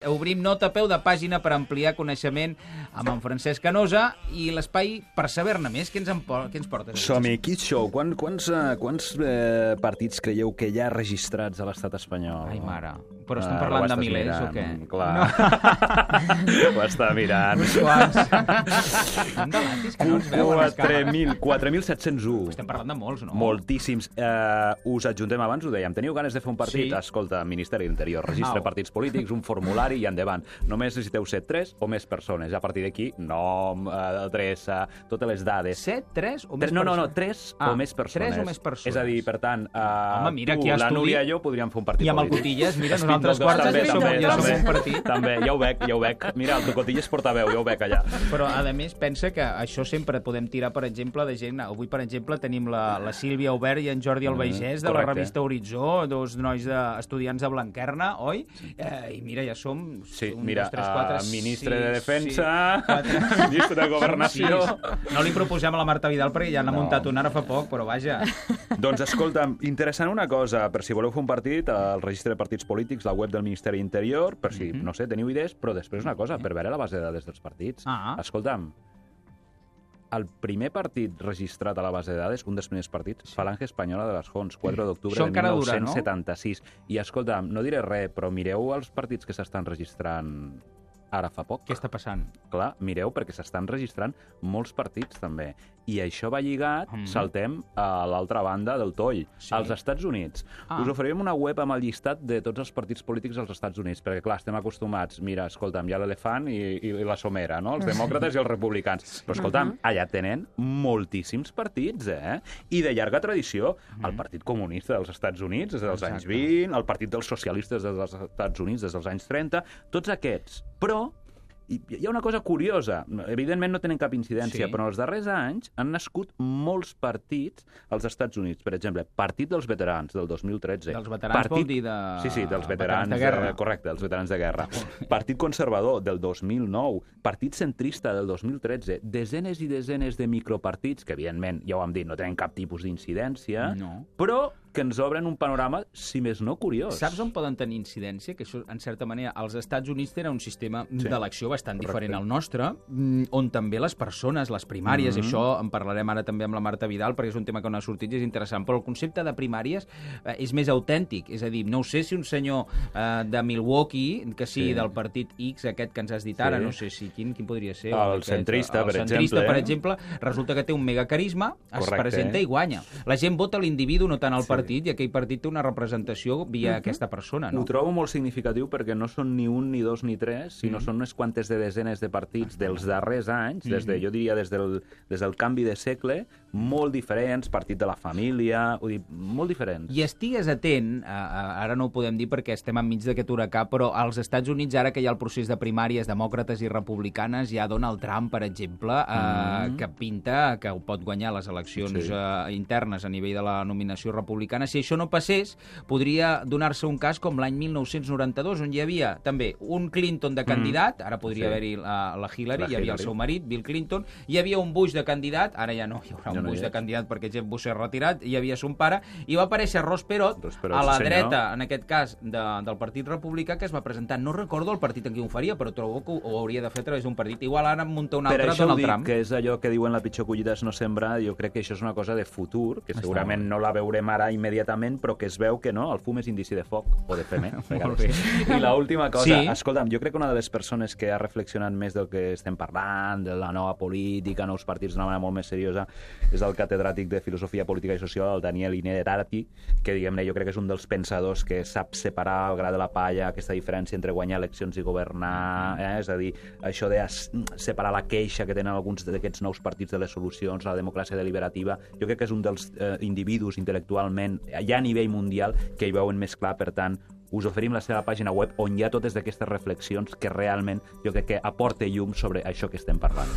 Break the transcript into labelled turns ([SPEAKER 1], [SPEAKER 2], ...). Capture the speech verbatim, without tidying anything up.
[SPEAKER 1] Obrim nota a peu de pàgina per ampliar coneixement amb en Francesc Canosa i l'espai per saber-ne més. Què ens, en, què ens portes?
[SPEAKER 2] Som-hi, Kids Show. Quan, quants uh, quants eh, partits creieu que hi ha registrats a l'estat espanyol?
[SPEAKER 1] Ai, mare. Però estem parlant uh, de milers
[SPEAKER 2] mirant,
[SPEAKER 1] o què?
[SPEAKER 2] Clar. No. Ho està mirant.
[SPEAKER 1] Uns quants. Estan de latis que no ens veuen les càmeres.
[SPEAKER 2] quatre mil set-cents u.
[SPEAKER 1] Estem parlant de molts, no?
[SPEAKER 2] Moltíssims. Uh, us adjuntem abans, ho dèiem. Teniu ganes de fer un partit?
[SPEAKER 1] Sí.
[SPEAKER 2] Escolta, Ministeri de l'Interior, registre
[SPEAKER 1] Au. Partits
[SPEAKER 2] polítics, un formulari i endavant. Només necessiteu ser tres o més persones. A partir d'aquí, nom, adreça, totes les dades.
[SPEAKER 1] Set, tres o més
[SPEAKER 2] No, no, no,
[SPEAKER 1] persones?
[SPEAKER 2] tres
[SPEAKER 1] Ah,
[SPEAKER 2] o més persones.
[SPEAKER 1] tres o més persones.
[SPEAKER 2] És a dir, per tant, uh,
[SPEAKER 1] Home, mira,
[SPEAKER 2] tu,
[SPEAKER 1] aquí hi ha
[SPEAKER 2] la
[SPEAKER 1] estudi.
[SPEAKER 2] Núria i jo podríem fer un partit
[SPEAKER 1] I amb el
[SPEAKER 2] polític.
[SPEAKER 1] Cotillas, mira,
[SPEAKER 2] Espín
[SPEAKER 1] nosaltres
[SPEAKER 2] dels dos,
[SPEAKER 1] quartes
[SPEAKER 2] també,
[SPEAKER 1] ja som-
[SPEAKER 2] també,
[SPEAKER 1] ja som
[SPEAKER 2] també.
[SPEAKER 1] un partit.
[SPEAKER 2] També, ja ho veig, ja ho veig. Mira, el Cotillas portaveu, ja ho veig allà.
[SPEAKER 1] Però, a més, pensa que això sempre podem tirar, per exemple, de gent... Avui, per exemple, tenim la, la Sílvia Aubert i en Jordi Albaigés, de la
[SPEAKER 2] correcte.
[SPEAKER 1] revista Horitzó, dos nois de, estudiants de Blanquerna, oi? Eh, I mira, ja som...
[SPEAKER 2] Sí,
[SPEAKER 1] un,
[SPEAKER 2] mira,
[SPEAKER 1] dos, tres, quatre,
[SPEAKER 2] uh, ministre
[SPEAKER 1] sis,
[SPEAKER 2] de Defensa,
[SPEAKER 1] sí, quatre.
[SPEAKER 2] ministre de Governació...
[SPEAKER 1] Sis. No li proposem a la Marta Vidal perquè ja n'ha
[SPEAKER 2] No.
[SPEAKER 1] muntat una ara fa poc, però vaja.
[SPEAKER 2] Doncs escolta, interessant una cosa, per si voleu fer un partit, al registre de partits polítics, la web del Ministeri d'Interior, per si, no sé, teniu idees, però després una cosa, per veure la base de dades dels partits.
[SPEAKER 1] Ah.
[SPEAKER 2] Escolta'm, el primer partit registrat a la base de dades, un dels primers partits, Falange Espanyola de les Jons, quatre d'octubre
[SPEAKER 1] Això
[SPEAKER 2] de
[SPEAKER 1] encara dura,
[SPEAKER 2] mil nou-cents setanta-sis. I escolta'm, no diré res, però mireu els partits que s'estan registrant ara fa poc.
[SPEAKER 1] Què està passant?
[SPEAKER 2] Clar, mireu, perquè s'estan registrant molts partits, també. I això va lligat,
[SPEAKER 1] Mm.
[SPEAKER 2] saltem a l'altra banda del toll,
[SPEAKER 1] Sí.
[SPEAKER 2] als Estats Units.
[SPEAKER 1] Ah.
[SPEAKER 2] Us oferim una web amb el llistat de tots els partits polítics als Estats Units, perquè, clar, estem acostumats, mira, escolta'm, hi ha l'elefant i, i la somera, no? Els demòcrates i els republicans. Però, escolta'm, allà tenen moltíssims partits, eh? I de llarga tradició. El Partit Comunista dels Estats Units, des dels anys
[SPEAKER 1] Exacte.
[SPEAKER 2] vint, el Partit dels Socialistes dels Estats Units, des dels anys trenta, tots aquests. Però i hi ha una cosa curiosa. Evidentment no tenen cap incidència,
[SPEAKER 1] Sí.
[SPEAKER 2] però en els darrers anys han nascut molts partits als Estats Units. Per exemple, Partit dels Veterans, del dos mil tretze.
[SPEAKER 1] Dels veterans vol dir de...
[SPEAKER 2] Sí, sí, dels veterans,
[SPEAKER 1] veterans de guerra.
[SPEAKER 2] eh, correcte, dels veterans de guerra. Partit Conservador, del dos mil nou. Partit Centrista, del dos mil tretze. Desenes i desenes de micropartits, que evidentment, ja ho hem dit, no tenen cap tipus d'incidència,
[SPEAKER 1] No.
[SPEAKER 2] però que ens obren un panorama, si més no, curiós.
[SPEAKER 1] Saps on poden tenir incidència? Que això, en certa manera, als Estats Units tenen un sistema
[SPEAKER 2] Sí.
[SPEAKER 1] d'elecció bastant
[SPEAKER 2] Correcte.
[SPEAKER 1] diferent al nostre, mm, on també les persones, les primàries,
[SPEAKER 2] Mhm.
[SPEAKER 1] i això en parlarem ara també amb la Marta Vidal, perquè és un tema que no ha sortit i és interessant, però el concepte de primàries eh, és més autèntic. És a dir, no sé si un senyor eh, de Milwaukee, que sigui
[SPEAKER 2] Sí.
[SPEAKER 1] del partit X, aquest que ens has dit ara,
[SPEAKER 2] Sí.
[SPEAKER 1] no sé si quin, quin podria ser.
[SPEAKER 2] El
[SPEAKER 1] aquest,
[SPEAKER 2] centrista,
[SPEAKER 1] el
[SPEAKER 2] per
[SPEAKER 1] centrista,
[SPEAKER 2] exemple.
[SPEAKER 1] per exemple, resulta que té un megacarisma, es
[SPEAKER 2] Correcte.
[SPEAKER 1] presenta i guanya. La gent vota l'individu, no tant el
[SPEAKER 2] Sí.
[SPEAKER 1] partit, i aquell partit té una representació via aquesta persona, no?
[SPEAKER 2] Ho trobo molt significatiu perquè no són ni un, ni dos, ni tres, sinó
[SPEAKER 1] Mm.
[SPEAKER 2] són unes quantes de desenes de partits dels darrers anys, des de,
[SPEAKER 1] Mhm.
[SPEAKER 2] jo diria des del, des del canvi de segle, molt diferents, partit de la família, vull dir, molt diferents.
[SPEAKER 1] I estigues atent, a, a, ara no ho podem dir perquè estem enmig d'aquest huracà, però als Estats Units, ara que hi ha el procés de primàries demòcrates i republicanes, hi ha Donald Trump, per exemple, eh,
[SPEAKER 2] Mm.
[SPEAKER 1] que pinta que ho pot guanyar les eleccions
[SPEAKER 2] Sí.
[SPEAKER 1] eh, internes a nivell de la nominació republicana. Si això no passés, podria donar-se un cas com l'any mil nou-cents noranta-dos, on hi havia també un Clinton de candidat, ara podria
[SPEAKER 2] Sí.
[SPEAKER 1] haver-hi la, la Hillary,
[SPEAKER 2] La
[SPEAKER 1] hi havia el
[SPEAKER 2] Hillary.
[SPEAKER 1] seu marit, Bill Clinton, hi havia un Bush de candidat, ara ja no hi haurà
[SPEAKER 2] Ja
[SPEAKER 1] un
[SPEAKER 2] no hi
[SPEAKER 1] Bush de
[SPEAKER 2] és.
[SPEAKER 1] candidat perquè Jeb Bush s'ha retirat, hi havia son pare, i va aparèixer Ross Perot,
[SPEAKER 2] Ross Perot,
[SPEAKER 1] a la
[SPEAKER 2] sí, senyor.
[SPEAKER 1] dreta, en aquest cas, de, del Partit Republicà, que es va presentar. No recordo el partit en qui ho faria, però trobo que ho, ho hauria de fer a través d'un partit. Igual ara en munta un
[SPEAKER 2] Per
[SPEAKER 1] altre,
[SPEAKER 2] això ho
[SPEAKER 1] Donald
[SPEAKER 2] dic,
[SPEAKER 1] Trump.
[SPEAKER 2] que és allò que diuen la pitjor collita és no sembrar, jo crec que això és una cosa de futur, que
[SPEAKER 1] Està
[SPEAKER 2] segurament
[SPEAKER 1] molt
[SPEAKER 2] no la veurem ara immediatament, però que es veu que no, el fum és indici de foc, o de fem, eh?
[SPEAKER 1] Molt bé.
[SPEAKER 2] I l'última cosa,
[SPEAKER 1] Sí.
[SPEAKER 2] escolta'm, jo crec que una de les persones que ha reflexionat més del que estem parlant, de la nova política, nous partits d'una manera molt més seriosa, és el catedràtic de Filosofia Política i Social, el Daniel Innerarity, que, diguem-ne, jo crec que és un dels pensadors que sap separar el gra de la palla, aquesta diferència entre guanyar eleccions i governar, eh? És a dir, això de as- separar la queixa que tenen alguns d'aquests nous partits de les solucions, la democràcia deliberativa, jo crec que és un dels eh, individus intel·lectualment, ja a nivell mundial, que hi veuen més clar. Per tant, us oferim la seva pàgina web on hi ha totes aquestes reflexions que realment jo crec que aporta llum sobre això que estem parlant.